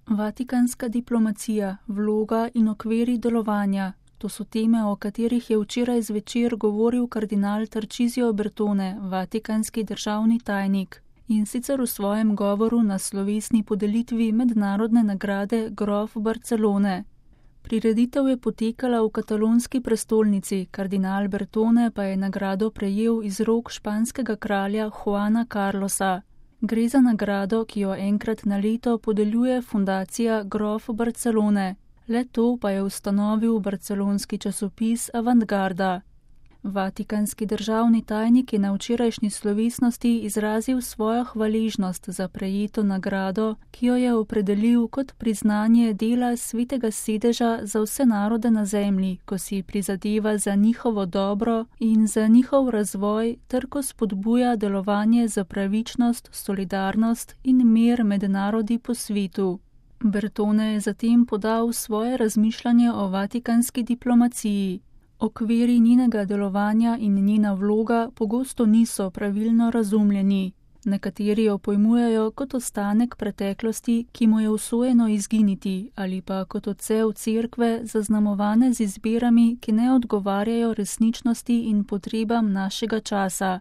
Vatikanska diplomacija, vloga in okviri delovanja. To so teme, o katerih je včeraj zvečer govoril kardinal Tarcisio Bertone, vatikanski državni tajnik, in sicer v svojem govoru na slovesni podelitvi mednarodne nagrade grof Barcelone. Prireditev je potekala v katalonski prestolnici, kardinal Bertone pa je nagrado prejel iz rok španskega kralja Juana Carlosa. Gre za nagrado, ki jo enkrat na leto podeljuje fundacija grof Barcelone. Le to pa je ustanovil barcelonski časopis Avantgarda. Vatikanski državni tajnik je na včerajšnji slovesnosti izrazil svojo hvaležnost za prejeto nagrado, ki jo je opredelil kot priznanje dela Svetega sedeža za vse narode na zemlji, ko si prizadeva za njihovo dobro in za njihov razvoj ter ko spodbuja delovanje za pravičnost, solidarnost in mir med narodi po svetu. Bertone je zatem podal svoje razmišljanje o vatikanski diplomaciji. Okviri njenega delovanja in njena vloga pogosto niso pravilno razumljeni. Nekateri jo pojmujejo kot ostanek preteklosti, ki mu je usojeno izginiti, ali pa kot odsev cerkve, zaznamovane z izbirami, ki ne odgovarjajo resničnosti in potrebam našega časa.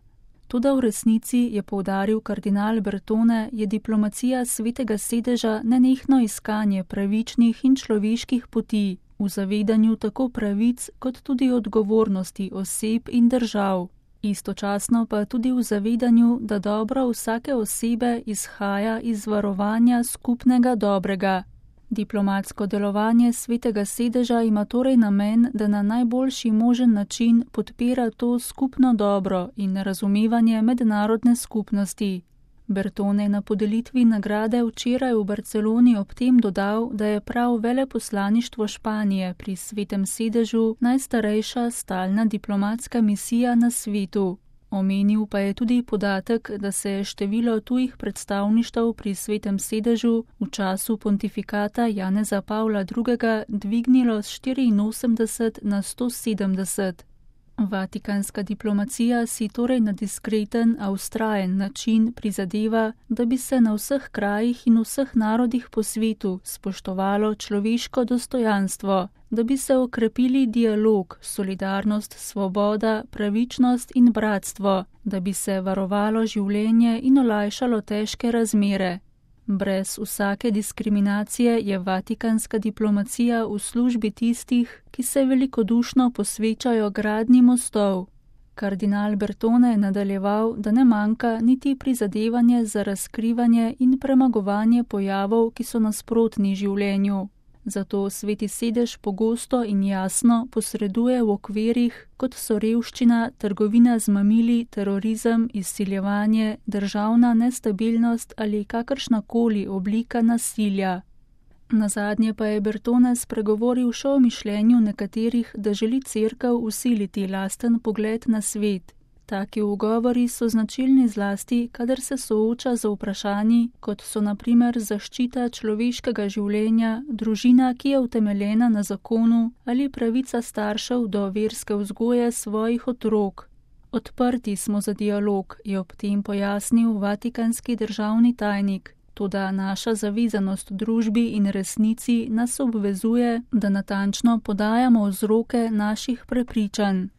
Toda v resnici, je poudaril kardinal Bertone, je diplomacija Svetega sedeža nenehno iskanje pravičnih in človeških poti, v zavedanju tako pravic kot tudi odgovornosti oseb in držav. Istočasno pa tudi v zavedanju, da dobro vsake osebe izhaja iz varovanja skupnega dobrega. Diplomatsko delovanje Svetega sedeža ima torej namen, da na najboljši možen način podpira to skupno dobro in razumevanje mednarodne skupnosti. Bertone je na podelitvi nagrade včeraj v Barceloni ob tem dodal, da je prav veleposlaništvo Španije pri Svetem sedežu najstarejša stalna diplomatska misija na svetu. Omenil pa je tudi podatek, da se je število tujih predstavništev pri Svetem sedežu v času pontifikata Janeza Pavla II. Dvignilo z 84 na 170. Vatikanska diplomacija si torej na diskreten, a vztrajen način prizadeva, da bi se na vseh krajih in vseh narodih po svetu spoštovalo človeško dostojanstvo, da bi se okrepili dialog, solidarnost, svoboda, pravičnost in bratstvo, da bi se varovalo življenje in olajšalo težke razmere. Brez vsake diskriminacije je vatikanska diplomacija v službi tistih, ki se velikodušno posvečajo gradnji mostov. Kardinal Bertone je nadaljeval, da ne manjka niti prizadevanje za razkrivanje in premagovanje pojavov, ki so nasprotni življenju. Zato Sveti sedež pogosto in jasno posreduje v okvirih, kot so revščina, trgovina z mamili, terorizem, izsiljevanje, državna nestabilnost ali kakršnakoli oblika nasilja. Nazadnje pa je Bertone spregovoril še o mišljenju nekaterih, da želi cerkev vsiliti lasten pogled na svet. Taki ugovori so značilni zlasti, kadar se sooča z vprašanji, kot so na primer zaščita človeškega življenja, družina, ki je utemeljena na zakonu, ali pravica staršev do verske vzgoje svojih otrok. Odprti smo za dialog, je ob tem pojasnil vatikanski državni tajnik. Toda naša zavezanost družbi in resnici nas obvezuje, da natančno podajamo vzroke naših prepričanj.